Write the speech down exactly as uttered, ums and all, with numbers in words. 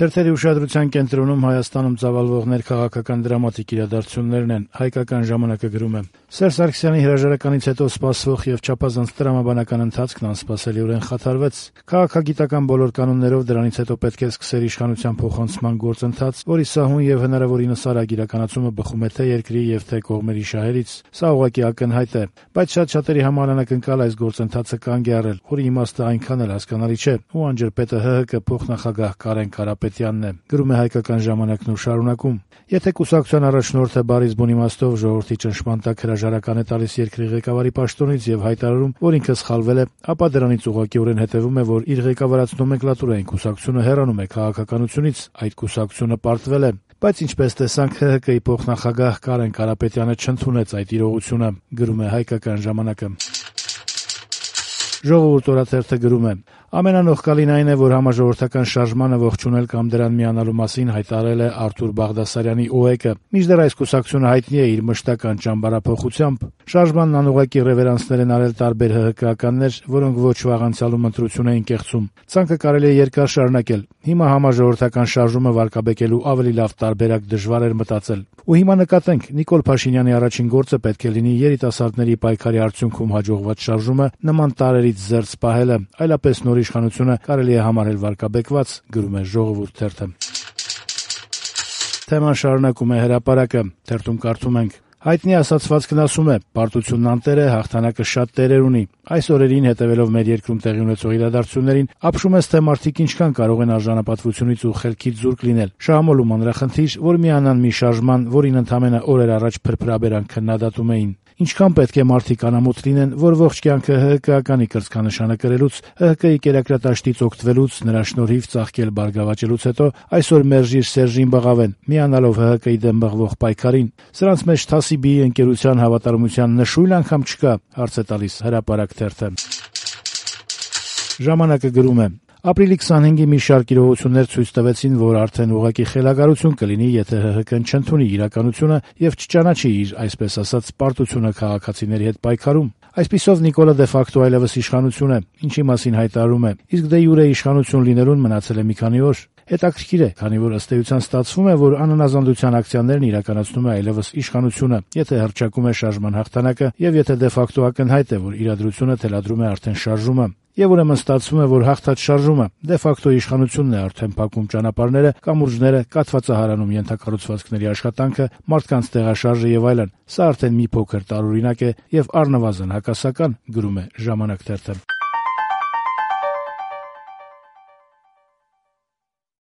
Թերթերի ուշադրության կենտրոնում Հայաստանում ծավալվող քաղաքական դրամատիկ իրադարձություններն են։ Հայկական ժամանակը գրում է. Սերժ Սարգսյանի հրաժարականից հետո սպասվող եւ չափազանց տրամաբանական ընթացքն անսպասելիորեն խաթարվեց։ Քաղաքագիտական բոլոր կանոններով դրանից հետո պետք է սկսել իշխանության փոխանցման գործընթաց, որի սահուն եւ հնարավորինս արագ իրականացումը բխում է թե երկրի եւ թե կողմերի շահերից։ Սա ուղղակի ակնհայտ է, բայց շատ շատերի համար անակնկալ այս գործընթացը կանգ է առել, որի իմաստը այնքան էլ հասկանալի չէ, ու անջրպետը ՀՀԿ փոխնախագահ Կարեն Կարապետյանն է։ Գրում է Հայկական ժամանակն ու շարունակում. Եթե կուսակցության առաջնորդը բարիզ բուն իմաստով ժողովրդի ճնշման տակ հրաժարական է տալիս երկրի ղեկավարի պաշտոնից եւ հայտարարում, որ ինքը սխալվել է, ապա դրանից ուղղակիորեն հետեւում է, որ իր ղեկավարած նոմենկլատուրային կուսակցությունը հեռանում է քաղաքականությունից, այդ կուսակցությունը պարտվել է։ Բայց ինչպես տեսանք, ՀՀԿ-ի փոխնախագահ Կարեն Կարապետյանը չընդունեց այդ իրողությունը, գրում է Հայկական ժամանակը։ Ժողովուրդ օրաթերթը գրում է. ամենանողկալին այն է, որ համաժողովրդական շարժմանը ողջունել կամ դրան միանալու մասին հայտարարել է Արթուր Բաղդասարյանի ՕԵԿ-ը, մինչդեռ այս կուսակցությունը հայտնի է իր մշտական ճամբարափոխությամբ։ Շարժմանն անուղղակի ռևերանսներ են արել տարբեր ՀՀԿ-ականներ, որոնք ոչ վաղ անցյալում ընտրություն էին կեղծում։ Ցանկը կարելի է երկար շարունակել։ Հիմա համաժողովրդական շարժումը վարկաբեկելու ավելի լավ տարբերակ դժվար էր մտածել։ Ու հիմա նկատենք, Նիկոլ Փաշինյանի առաջին գործը պետք է լինի երիտասարդների պայքարի արդյունքում հաջողված շարժումը նման տարրերից զերծ պահելը, այլապես նոր իշխանությունը կարելի է համարել վարկաբեկված, գրում է Ժողովուրդ թերթը։ Թեման շարունակում է Հրապարակը, թերթում կարդում ենք. Հայտնի ասացվածքն ասում է. պարտությունն անտեր է, հաղթանակը շատ տերեր ունի։ Այս օրերին, հետևելով մեր երկրում տեղի ունեցող իրադարձություններին, ապշում ես, թե մարդիկ ինչքան կարող են արժանապատվությունից ու խելքից զուրկ լինել։ Շահամոլում մանրախնդիր, որ միանան մի շարժման, որին ընդամենը օրեր առաջ փրփրաբերան քննադատում էին։ Ինչքան պետք է մարդիկ անամոթ լինեն, որ ողջ կյանքը ՀՀԿ-ականի կրծքանշանը կրելուց, ՀՀԿ-ի կերակրատաշտից օգտվելուց, նրա շնորհիվ ծաղկել բարգավաճելուց հետո այսօր մերժիր Սերժին բղավեն, միանալով ՀՀԿ-ի դեմ բղվող պայքարին։ Սրանց մեջ Թասիբիի ընկերության հավատարմության նշույլ անգամ չկա, հարց է տալիս Հրապարակ թերթը։ Ժամանակը գրում է. Ապրիլի քսանհինգի մի շարք իրողություններ ցույց տվեցին, որ արդեն ուղղակի խելագարություն կլինի, եթե ՀՀԿ-ն չընդունի իրականությունը եւ չճանաչի իր, այսպես ասած, պարտությունը քաղաքացիների հետ պայքարում։ Այսպիսով Նիկոլը դե ֆակտո այլևս իշխանություն է, ինչի մասին հայտարարում է, իսկ դե յուրե իշխանություն լինելուն մնացել է մի քանի օր։ Հետաքրքիր է, քանի որ ըստ էության ստացվում է, որ անանազանդության ակցիաներն իրականացնում է այլևս իշխանությունը, եթե հռչակում է շարժման հաղթանակը եւ եթե դե ֆակտո ակնհայտ է, որ իրադրությունը թելադրում է արդեն շարժումը։ Եվ ուրեմն ստացվում է, որ հաղթած շարժումը դե ֆակտո իշխանությունն է արդեն փակում ճանապարհները, կամուրջները, կաթվածահարանում ենթակառուցվածքների աշխատանքը, մարդկանց տեղաշարժը եւ այլն։ Սա արդեն մի փոքր տարօրինակ է եւ առնվազն հակասական, գրում է Ժամանակ թերթը։